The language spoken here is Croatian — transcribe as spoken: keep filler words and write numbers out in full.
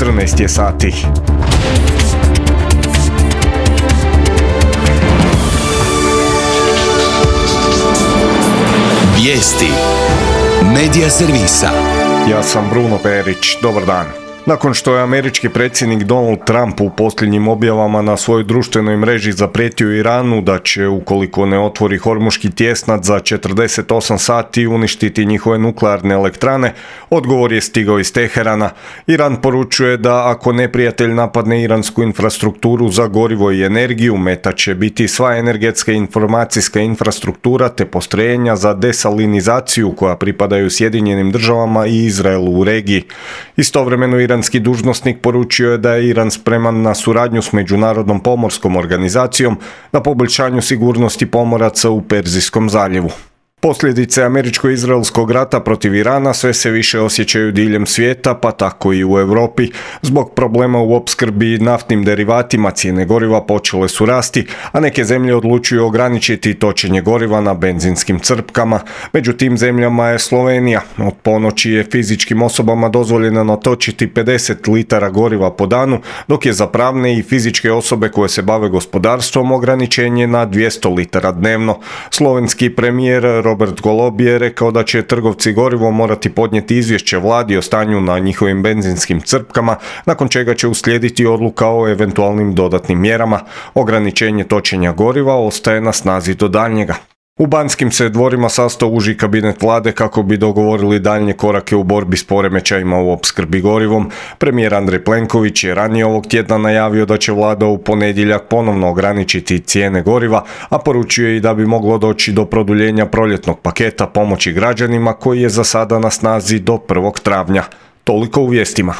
četrnaest je sati. Vijesti Medija servisa. Ja sam Bruno Perić, dobar dan. Nakon što je američki predsjednik Donald Trump u posljednjim objavama na svojoj društvenoj mreži zaprijetio Iranu da će, ukoliko ne otvori Hormuški tjesnac za četrdeset osam sati, uništiti njihove nuklearne elektrane, odgovor je stigao iz Teherana. Iran poručuje da ako neprijatelj napadne iransku infrastrukturu za gorivo i energiju, meta će biti sva energetska i informacijska infrastruktura te postrojenja za desalinizaciju koja pripadaju Sjedinjenim državama i Izraelu u regiji. Istovremeno iranski dužnosnik poručio je da je Iran spreman na suradnju s Međunarodnom pomorskom organizacijom na poboljšanju sigurnosti pomoraca u Perzijskom zaljevu. Posljedice američko-izraelskog rata protiv Irana sve se više osjećaju diljem svijeta, pa tako i u Europi. Zbog problema u opskrbi naftnim derivatima cijene goriva počele su rasti, a neke zemlje odlučuju ograničiti točenje goriva na benzinskim crpkama. Među tim zemljama je Slovenija. Od ponoći je fizičkim osobama dozvoljeno natočiti pedeset litara goriva po danu, dok je za pravne i fizičke osobe koje se bave gospodarstvom ograničenje na dvjesto litara dnevno. Slovenski premijer Robert Golob je rekao da će trgovci gorivom morati podnijeti izvješće vladi o stanju na njihovim benzinskim crpkama, nakon čega će uslijediti odluka o eventualnim dodatnim mjerama. Ograničenje točenja goriva ostaje na snazi do daljnjega. U Banskim se dvorima sastao uži kabinet vlade kako bi dogovorili daljnje korake u borbi s poremećajima u opskrbi gorivom. Premijer Andrej Plenković je ranije ovog tjedna najavio da će vlada u ponedjeljak ponovno ograničiti cijene goriva, a poručio je i da bi moglo doći do produljenja proljetnog paketa pomoći građanima koji je za sada na snazi do prvog travnja. Toliko u vijestima.